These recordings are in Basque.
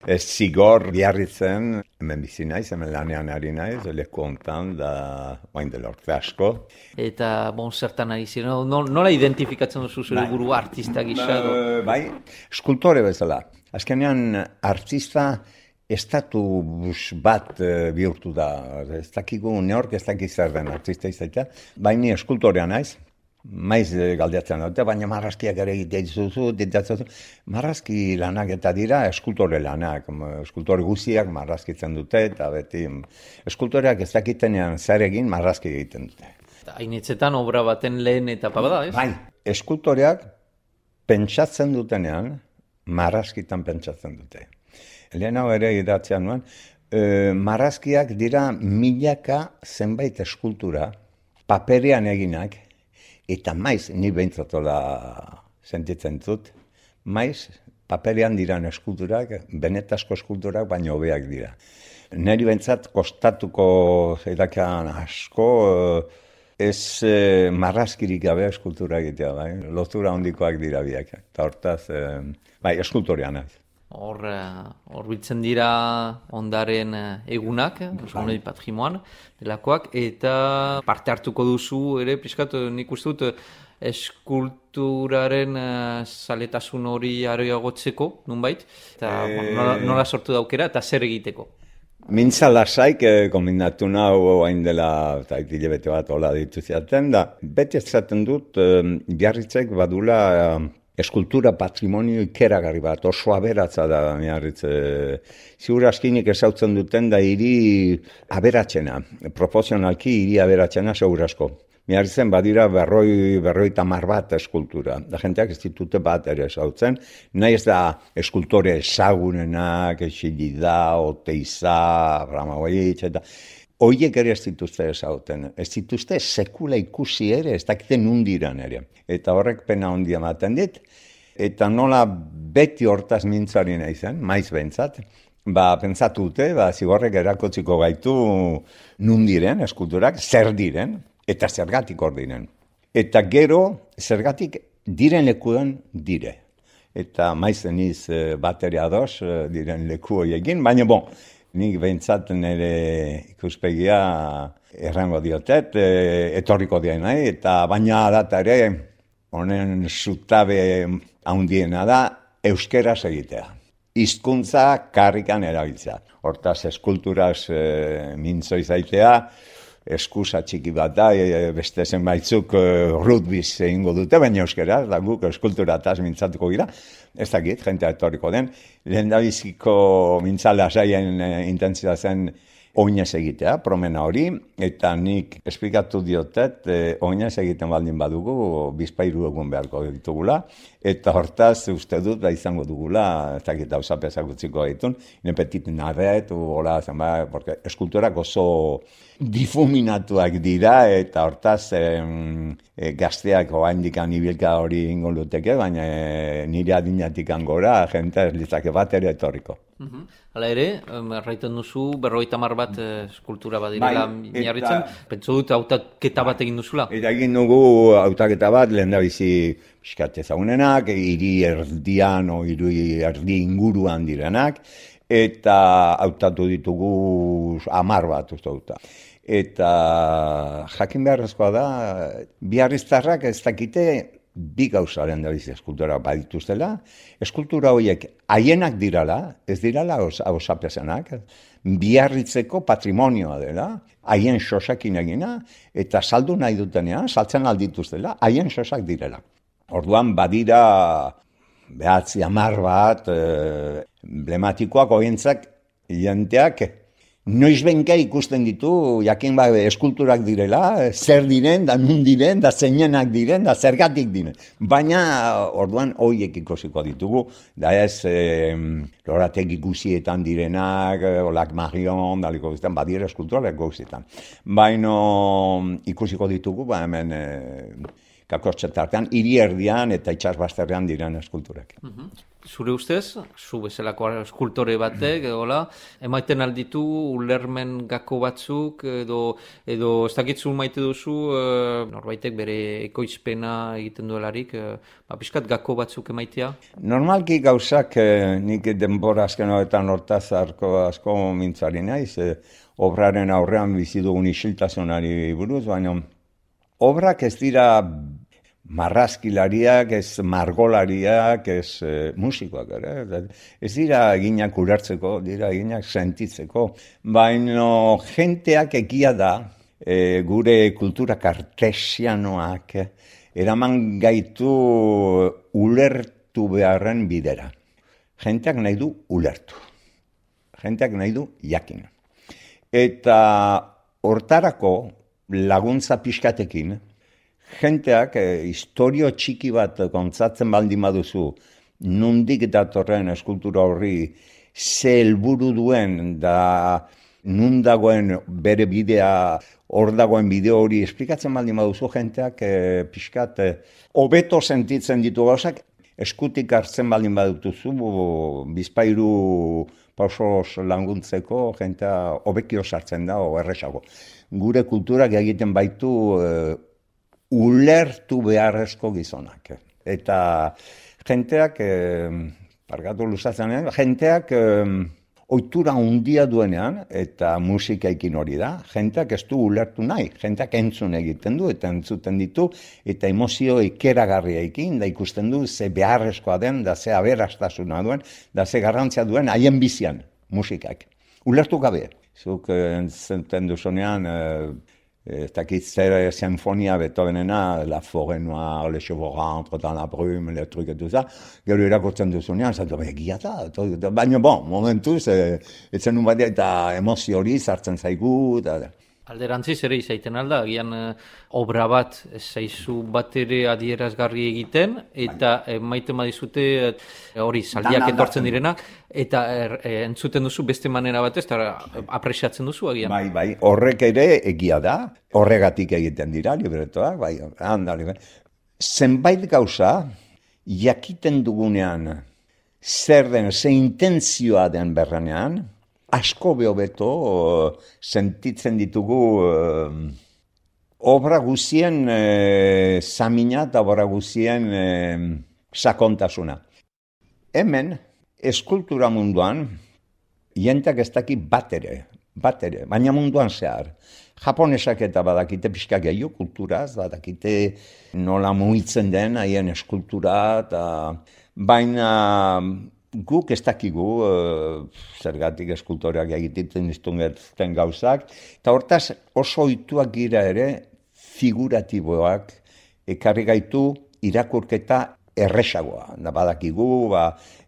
Ez zigor Biarritzen, hemen bizi naiz, hemen lanean ari naiz, leku hontan, da bain dela urte asko. Eta, zertan ari ziren, nola identifikatzen duzu zure burua artista gisa edo? Bai, eskultore bezala. Azkenean, artista estatus bat bihurtu da. Ez dakigu neork ez dakik zer den artista izatea, baina eskultorea naiz. Maiz galdeatzen dute, baina marrazkiak ere ditzatzen marrazki lanak eta dira eskultore lanak. Eskultore guztiak marrazkitzen dute, eta beti eskultoreak ez dakitenean zer egin marrazki egiten dute. Hainitzetan obra baten lehen etapa bada, ez? Bai, eskultoreak pentsatzen dutenean, marrazkitan pentsatzen dute. Lehen hau ere idatzean nuen, marrazkiak dira milaka zenbait eskultura, paperean eginak, eta maiz, ni behintzatola sentitzen dut, maiz, paperean diran eskulturak, benetazko eskulturak, baina hobeak dira. Neri behintzat kostatuko zeidakean asko, ez marrazkirik gabe eskultura egitea, bai? Lotura handikoak dira biak. Eta hortaz, bai, eskultorean naiz. Hor biltzen dira ondaren egunak, patrimoan, delakoak, eta parte hartuko duzu ere, pixkat, nik uste dut, eskulturaren zaletasun hori areagotzeko, nunbait, eta nola sortu daukera, eta zer egiteko. Mintza lasaik kombinatu nahu hain dela, eta hilabete bat hola dituziaten, da beti ezaten dut, Biarritzek badula eskultura patrimonio ikeragarri bat, oso aberatza da Biarritz. Ziur askinik ezautzen duten da hiri aberatzena, proportzionalki hiri aberatzena segur asko. Biarritzen badira berroita mar bat eskultura. Da jenteak ez ditute bat ere ezautzen. Nahi ez da eskultore ezagunenak, Exilida, Oteiza, Abramovich, eta hoiek ere ez dituzte ezauten. Ez dituzte sekula ikusi ere, ez dakite nundiran ere. Eta horrek pena handia ematen dit. Eta nola beti hortaz mintzari nahi zen, maiz behintzat, pentsatu dute, zigorrek erakotziko gaitu nundiren eskulturak, zer diren, eta zergatik hor diren. Eta gero, zergatik diren lekuan dire. Eta maizen iz bat ere ados diren leku horiekin, baina nik behintzat nire ikuspegia errango diotet, etorriko dien nahi, eta baina data ere, honen zutabe handiena da, euskeraz egitea. Hizkuntza karrikan erabiltzea. Hortaz, eskulturaz mintzo izaitea, eskusa txiki bat da, beste zenbaitzuk rugbyz egingo dute, baina euskeraz, da guk eskulturataz mintzatuko gira. Ez dakit, jentea etorriko den. Lehendabiziko mintzala saien intentzia zen oinez egitea, promena hori, eta nik esplikatu diotet, oinez egiten baldin badugu, bizpairu egun beharko ditugula, eta hortaz uste dut izango dugula, ez dakit hausapezak utziko ditun, nepetit nadet, porque eskulturak oso difuminatuak dira, eta hortaz gazteak oaindikan ibilka hori ingo luteke, baina nire adinatik gora, jente ez litzake bat ere etorriko. Hala ere, erraiten duzu, 50 bat eskultura badirela Biarritzen, pentsu dut hautaketa bat egin duzula? Eta egin dugu hautaketa bat, lehendabizi pixkat ezagunenak, hiri erdian o hiri erdi inguruan direnak, eta hautatu ditugu 10 bat uste dut. Eta jakin beharrezkoa da, biarriztarrak ez dakite bi gauzaren da bizi eskultura badituztela. Eskultura horiek haienak dirala, ez dirala hausapezenak, Biarritzeko patrimonioa dela, haien sosakin egina, eta saldu nahi dutenean, saltzen aldituztela, haien sosak direla. Orduan badira 9-10 bat, emblematikoak horientzak jenteak, noiz benka ikusten ditu, jakin eskulturak direla, zer diren, da nun diren, da zeinenak diren, da zergatik diren. Baina, orduan, horiek ikusiko ditugu, da ez, lorategi guzietan direnak, olak Marion, daliko guztietan, badira eskulturak guztietan. Baina, ikusiko ditugu, hemen, kakotxetartean, hiri erdian eta itsasbazterrean diren eskulturak. Zure ustez, zu bezalako eskultore batek, emaiten alditu ulermen gako batzuk, edo ez dakitzu maite duzu, norbaitek bere ekoizpena egiten duelarik, pixkat gako batzuk emaitea? Normalki gauzak, nik denbora azken horretan hortaz asko mintzari naiz, obraren aurrean bizi dugun isiltasunari buruz, baina obrak ez dira marrazkilariak, ez margolariak, ez musikoak ere. Ez dira eginak ulertzeko, dira eginak sentitzeko. Baina jenteak egia da, gure kultura kartesianoak, eraman gaitu ulertu beharren bidera. Jenteak nahi du ulertu. Jenteak nahi du jakin. Eta hortarako laguntza pixkatekin, jenteak historio txiki bat kontzatzen baldin baduzu, nondik datorren eskultura horri ze helburu duen da nun dagoen bere bidea, hor dagoen bideo hori esplikatzen baldin baduzu, jenteak pixkat hobeto sentitzen ditu gauzak, eskutik hartzen baldin badutuzu, bizpairu pausos laguntzeko jentea hobekio sartzen da, erresago. Gure kulturak egiten baitu ulertu beharrezko gizonak. Eta jenteak, pargatu luzatzen, jenteak ohitura handia duenean, eta musikaikin hori da, jenteak ez du ulertu nahi, jenteak entzun egiten du, eta entzuten ditu, eta emozio ikeragarriaikin, da ikusten du ze beharrezkoa den, da ze aberastasuna duen, da ze garrantzia duen haien bizian musikak. Ulertu gabe. Zuk entzuten duzunean, ez dakit zer sinfonia Beethovenena, La Forêt Noire, Le Chevaux rentrent dans la brume, le truc et tout ça, gero irakurtzen duzunean, zaitu, egia da, baina momentuz, etzen nun badia eta emozio hori sartzen zaigu, Alderantziz ere izaiten alda, agian obra bat zaizu bat ere adierazgarri egiten, eta maite badizute hori zaldiak etortzen direnak, eta entzuten duzu beste manera batez, eta apresiatzen duzu agian. Bai, horrek ere egia da, horregatik egiten dira, libretoak, handali. Zenbait gauza, jakiten dugunean, zer den, ze intentzioa den berranean, asko behobeto sentitzen ditugu obra guzien zamina eta obra guzien sakontasuna. Hemen, eskultura munduan, jentak ez daki bat ere, baina munduan zehar. Japonesak eta badakite pixka gehiago kulturaz, badakite nola mugitzen den haien eskultura, baina guk ez dakigu, zergatik eskultoreak egiten dizuten gauzak, eta hortaz oso ohituak gira ere figuratiboak ekarri gaitu irakurketa erresagoa. Da badakigu,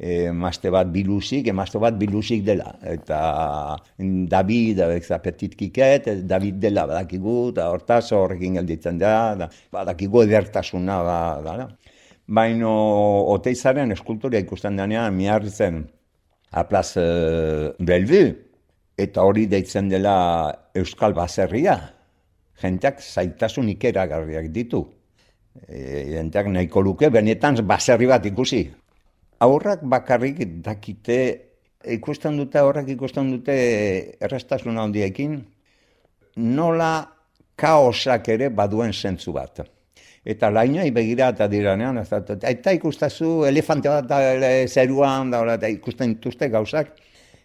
emazte bat bilusik dela. Eta David, Petit Kiket, David dela badakigu, eta hortaz horrekin gelditzen da, badakigu edertasuna da. Baina Oteizaren eskultoria ikusten denean miarritzen Aplaz Bellevue, eta hori deitzen dela Euskal Baserria. Jenteak zaitasun ikeragarriak ditu. Jenteak nahiko luke, benetan baserri bat ikusi. Aurrak bakarrik dakite, ikusten dute erraztasuna handiekin, nola kaosak ere baduen zentzu bat. Eta lainoi begira eta diranean, eta ikustazu elefante bat zeruan, eta ikusten dituzte gauzak,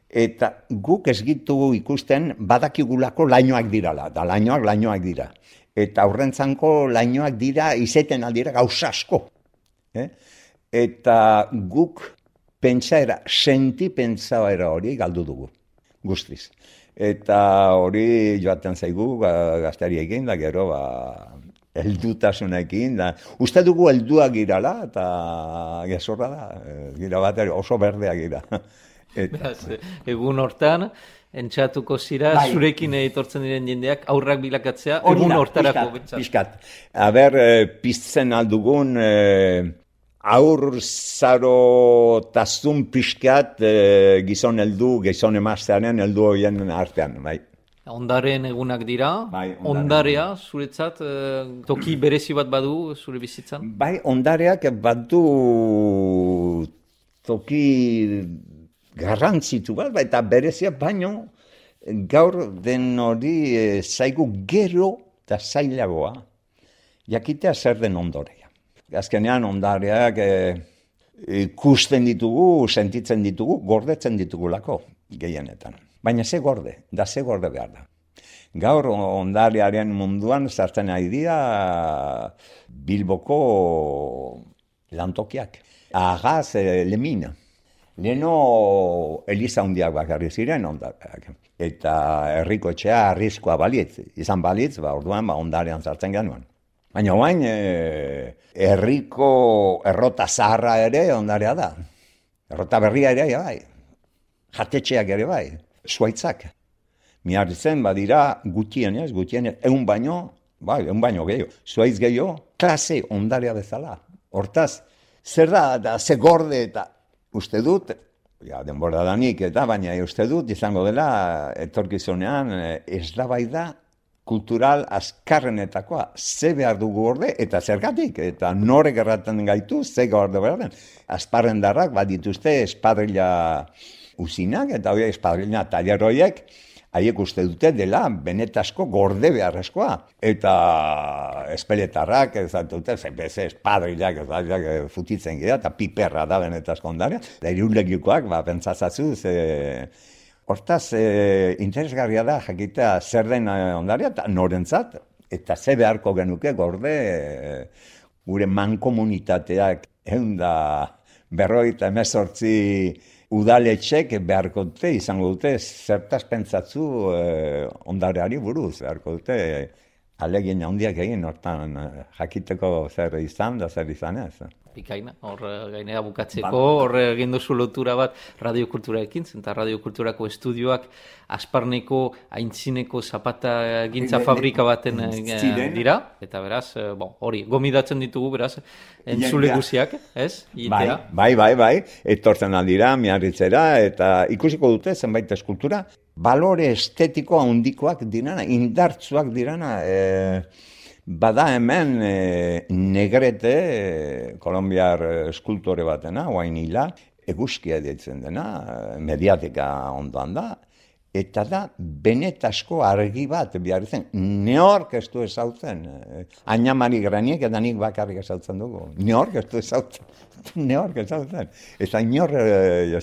eta guk ez gitu ikusten badakigulako lainoak dirala, da lainoak dira. Eta aurrentzanko lainoak dira, izeten aldira gauza asko. Eta guk pentsaera hori galdu dugu, guztiz. Eta hori joaten zaigu gaztariekin, da gero, heldutasunekin, uste dugu helduak girala, eta gezorra da, gira bat oso berdeak gira. Egun hortan, entxatuko zira, zurekin etortzen diren jendeak, aurrak bilakatzea, egun hortarako bentsat. Piskat. Aber, piztzen aldugun, aur zaro tazun piskat gizon emaztearen heldu horien artean, bai. Ondaren egunak dira, Bai, ondarea zuretzat toki berezi bat badu zure bizitzan? Bai, ondareak badu toki garrantzitu bat, eta berezia baino gaur den hori zaigu gero eta zailagoa jakitea zer den ondarea. Azkenean ondareak ikusten ditugu, sentitzen ditugu, gordetzen ditugulako gehienetan. Baina ze gorde behar da. Gaur ondarearen munduan sartzen ari dira Bilboko lantokiak. Agaz, Lemina. Leno Eliza hundiak bakarri ziren ondareak. Eta herriko etxea arriskoa balitz. Izan balitz, orduan ondarean sartzen genuen. Baina orain herriko errota zaharra ere ondarea da. Errota berria ere bai. Jatetxeak ere bai. Zuaitzak. Miarritzen badira gutienez, 100 baino, bai, 100 baino gehiago. Zuaitz gehiago, klase ondarea bezala. Hortaz, zer da ze gorde eta uste dut, denbora danik eta baina uste dut izango dela etorkizunean eztabaida kultural azkarrenetakoa. Ze behar dugu gorde eta zergatik, eta norek erraten gaitu, ze gorde behar den. Azparrendarrak badituzte espadrilla usinak, eta hori espadrilla taller horiek, haiek uste dute dela benetazko gorde beharrezkoa. Eta espeletarrak, ez dute, espadrillak, futitzen gira, eta piperra da benetazko ondarea. Eta irulegikoak, pentsazatzu, hortaz, interesgarria da jakitea zer den ondarea, eta norentzat, eta ze beharko genuke gorde gure mankomunitateak 158 udaletxek beharko dute, izango dute, zertaz pentsatzu ondareari buruz, beharko dute alegin handiak egin, hortan jakiteko zer izan da zer izan ez. Bikaina, hor gainera bukatzeko, hor egin duzu lotura bat radiokulturaekin, eta radiokulturako estudioak Asparneko aintzineko zapata gintza fabrika baten dira, eta beraz, hori, gomidatzen ditugu, beraz, entzule guziak, ez? Bai, etortzen aldira, Miarritzera, eta ikusiko dute zenbait eskultura, balore estetiko handikoak dirana, indartsuak dirana, bada hemen Negrete, kolombiar eskultore batena, oain hila, eguzkia ditzen dena, mediatika ondoan da, eta da benetasko argi bat behar zen, neork ez du ezautzen, Añamari Graniek eta nik bakarrik ezautzen dugu, neork ez du ezautzen, eta inor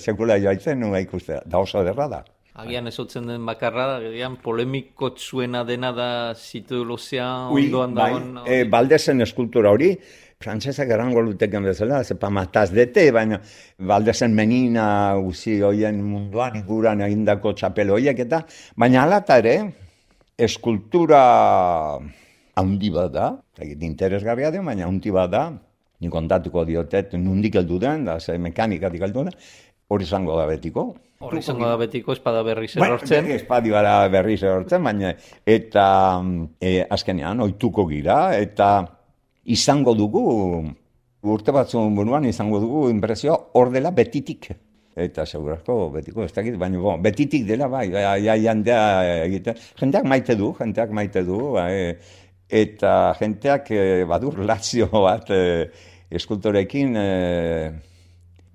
sekula joaitzen nua ikustea, da oso derra da. Agian ezautzen den bakarra, agian polemikotsuena dena da zitolozea ondoan dagoen. Baldezen eskultura hori, frantsesak erango luteken bezala, zepa mataz dete, baina Baldezen menina uzi hoien munduan inguran egindako txapel horiek eta, baina alata ere, eskultura handi bat da, interesgarria den, baina handi bat da, nik kontatuko diotet, nundik heldu den, da ze mekanikatik heldu den, hori izango da betiko. Hori izango da betiko, espada berriz erortzen. Espada berriz erortzen, baina eta azkenean ohituko gira, eta izango dugu, urte batzuen buruan izango dugu inpresioa hor dela betitik. Eta segurazko betiko ez dakit, baina betitik dela bai, jandea egiten. Jenteak maite du, eta jenteak badur relazio bat eskultorekin,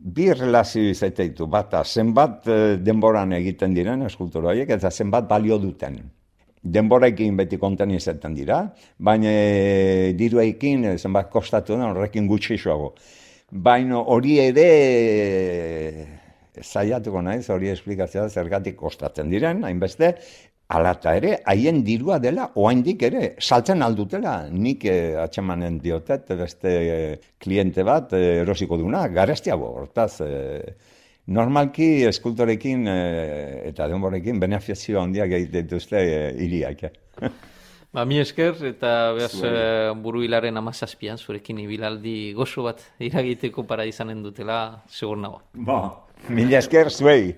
bi relazio izaiteitu, bata zenbat denboran egiten diren eskultura horiek, eta zenbat balio duten. Denboraekin beti konten izaten dira, baina diruekin zenbat kostatu den horrekin gutxixoago. Baina hori ere saiatuko naiz, hori esplikazioa zergatik kostatzen diren, hainbeste, alata ere, haien dirua dela, oaindik ere, saltzen aldutela, nik atxemanen diotet, beste kliente bat, erosiko duna, garestiago, hortaz, normalki eskultorekin eta denborekin beneficio handiak egiten dituzte hiriak. Mi esker, eta behaz buru hilaren 17an, zurekin ibilaldi gozo bat iragiteko para izanen dutela, segur nago. Mila esker zuei.